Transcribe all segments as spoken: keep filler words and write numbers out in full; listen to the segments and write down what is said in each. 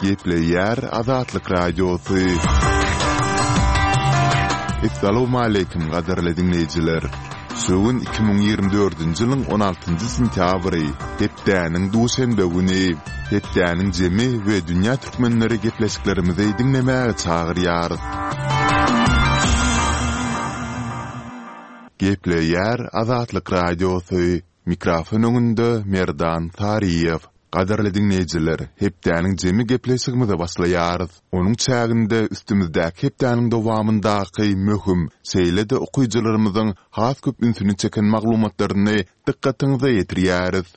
Gepleýär Azatlyk Radiosy. Essalawmaleýkim gadyrly diňleýjiler! Şu gün iki müň ýigrimi dördünji ýylyň on altynjy sentýabry, hepdäniň duşenbe güni. Hepdäniň jemi we dünýä türkmenleri gepleşiklerimizi diňlemäge çagyrýarys. Gepleýär Azatlyk Radiosy, mikrofon öňünde Merdan Saryýew. Gadyrly diňleýjiler, hepdäniň jemi gepleşigimize başlaýarys. Onuň çäginde üstümizdäki hepdäniň dowamyndaky möhüm, şeýle-de okyjylarymyzyň has köp ünsüni çeken maglumatlaryny dykgatyňyza ýetirýäris.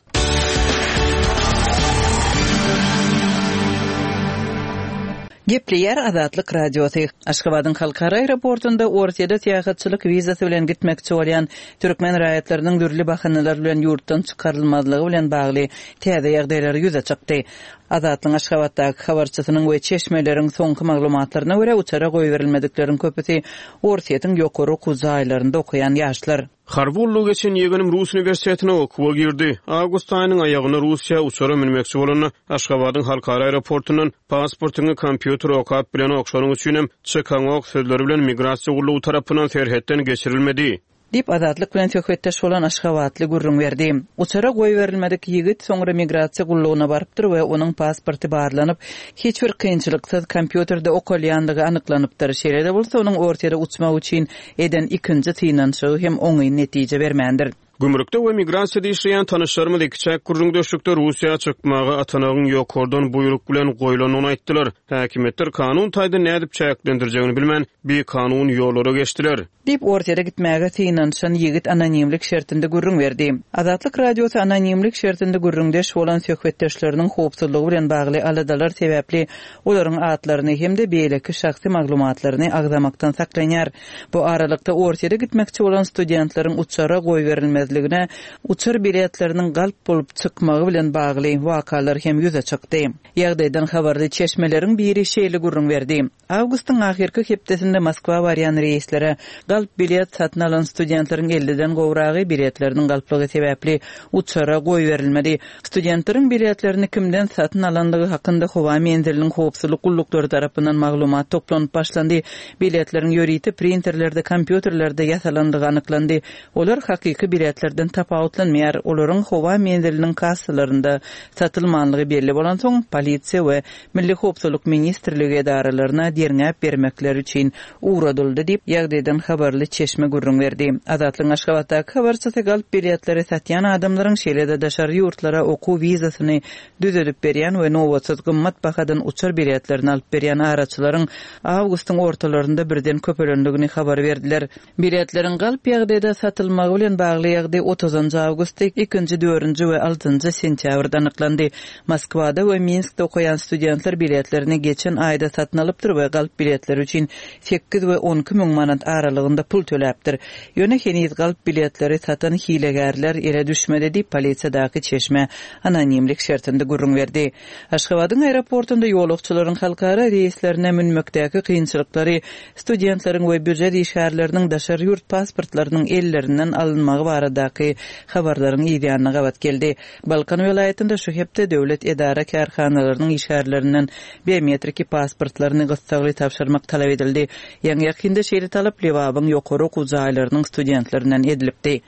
Gepleýär Azatlyk Radiosy. Aşgabadyň halkara aeroportunda Orsýete syýahatçylyk wizasy bilen gitmekçi bolýan türkmen raýatlarynyň dürli bahanalar bilen ýurtdan çykarylmazlygy bilen bagly täze ýagdaýlar ýüze çykdy. Azatlygyň Aşgabatdaky habarçysynyň we çeşmeleriň soňky maglumatlaryna görä, uçara goýberilmedikleriň köpüsi Orsýetiň ýokary okuw jaýlarynda okaýan ýaşlar. Harby gullugy geçen ýegenim Rus uniwersitetine okuwa girdi. Awgust aýynyň aýagynda Russiýa uçara münmekçi bolanda, Aşgabadyň halkara aeroportundan pasportyňy kompýuter okap bilenok, şonuň üçinem çykaňok sözleri bilen migrasiýa gullugy tarapyndan serhetden geçirilmedi. Diýip, Azatlyk bilen söhbetdeş bolan aşgabatly gürrüň berdi. Uçara goýberilmedik ýigit soňra migrasiýa gullugyna barypdyr we onuň pasporty barlanyp, hiç bir kynçylyksyz kompýuterde okalýandygy anyklanypdyr. Şeýle-de bolsa, onuň Orsýete uçmak üçin eden ikinji synanyşygy hem oňyn netije bermändir. Gümrükde we migrasiýada işleýän tanyşlarymyz ikiçäk gürrüňdeşlikde Russiýa çykmaga atanagyň ýokardan buýruk bilen goýlandygyny aýtdylar. Häkimiýetler kanun taýdan nädip çäklendirjegini bilmän, bikanun ýollara geçdiler. Diýip, Orsýete gitmäge synanyşan ýigit anonimlik şertinde gürrüň berdi. Azatlyk Radiosy anonimlik şertinde gürrüňdeş bolan söhbetdeşleriniň howpsuzlygy bilen bagly aladalar sebäpli olaryň atlaryny hem-de beýleki şahsy maglumatlaryny agzamakdan saklanýar. Bu aralykda Orsýete gitmekçi bolan studentleriň uçara goýberilmezligine uçar biletleriniň galp bolup çykmagy bilen bagly wakalar hem ýüze çykdy. Ýagdaýdan habarly çeşmeleriň biri şeýle gürrüň berdi. Awgustyň ahyrky hepdesinde Moskwa barýan reýslere galp bilet satyn alan studentleriň elliden gowragy biletleriniň galplygy sebäpli uçara goýberilmedi. Studentleriň biletlerini kimden satyn alandygy hakynda howa menziliniň howpsuzlyk gulluklary tarapyndan maglumat toplanyp başlandy. Biletleriň ýörite printerlerde, kompýuterlerde ýasalandygy anyklandy. Olar hakyky biletlerden tapawutlanmaýar. Olaryň howa menziliniň kassalarynda satylmanlygy belli bolansoň, polisiýa we Milli howpsuzlyk ministrligi edaralaryna derňäp bermekleri üçin ugradyldy diýip, ýagdaýdan habarly çeşme gürrüň berdi. Azatlygyň Aşgabatdaky habarçysy galp biletleri satýan adamlaryň, şeýle-de daşary ýurtlara okuw wizasyny düzedip berýän we nobatsyz gymmat bahadan uçar biletlerini alyp berýän araçylaryň awgustyň ortalarynda birden köpelendigini habar berdiler. Biletleriň galp ýagdaýda satylmagy bilen bagly ýagdaý otuzynjy awgustda, ikinji, dördünji we altynjy sentýabrda anyklandy. Moskwada we Minskde okaýan studentler biletlerini geçen aýda satyn alypdyr we galp biletleri üçin sekiz we on iki müň manat aralygynda pul töläpdir. Ýöne heniz galp biletleri satan hilegärler ele düşmedi diýip, polisiýadaky çeşme anonimlik şertinde gürrüň berdi. Aşgabadyň aeroportunda ýolagçylaryň halkara reýslerine münmekdäki kynçylyklary studentleriň we býujet işgärleriniň daşary ýurt pasportlarynyň ellerinden alynmagy baradaky habarlaryň ýanyna gabat geldi. Balkan welaýatynda şu hepde döwlet edara kärhanalarynyň işgärlerinden biometriki pasportlaryny gyssagly tabşyrmak talap edildi. Ýaňy ýakynda şeýle talap Lebabyň ýokary okuw jaýlarynyň studentlerinden edilipdi.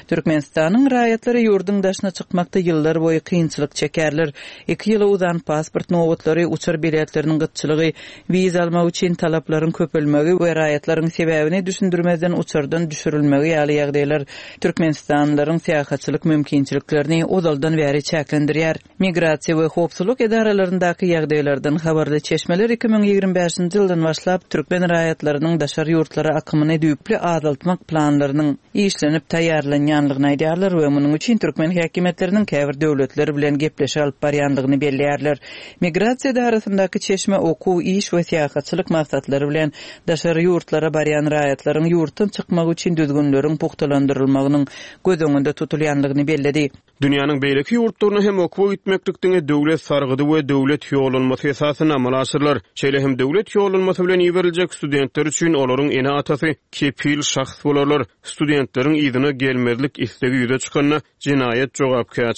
Türkmenistanyň raýatlary ýurduň daşyna çykmakda ýyllar boýy kynçylyk çekerler. Iki ýyla uzan pasport nobatlary, uçar biletleriniň gytçylygy, wiza almak üçin talaplaryň köpelmegi we raýatlaryň sebäbini düşündirmezden uçardan düşürilmegi ýaly ýagdaýlar Türkmenistanlylaryň syýahatçylyk mümkinçiliklerini ozaldan bäri çäklendirýär. Migrasiýa we howpsuzlyk edaralaryndaky ýagdaýlardan habarly çeşmeler iki müň ýigrimi bäşinji ýyldan başlap türkmen raýatlarynyň daşary ýurtlara akymyny düýpli azaltmak planlarynyň işlenip taýýarlanýanlygyny aýdýarlar we munuň üçin türkmen häkimiýetleriniň käbir döwletler bilen gepleşik alyp barýanlygyny belleýärler. Migrasiýa edarasyndaky çeşme okuw, iş we syýahatçylyk maksatlary bilen daşary ýurtlara barýan raýatlaryň ýurtdan çykmagy üçin düzgünleriň pugtalandyrylmagynyň göz öňünde tutulýanlygyny belledi. Dünýäniň beýleki ýurtlaryna hem okuwa gitmeklik diňe döwlet sargydy we döwlet ýollanmasy esasynda amala aşyrylar. Şeýle hem döwlet ýollanmasy bilen iberiljek studentler üçin olaryň ene-atasy kepil şahs bolarlar. Studentleriň yzyna gelmezlik islegi ýüze çykanda jenaýat jogapkärçiligi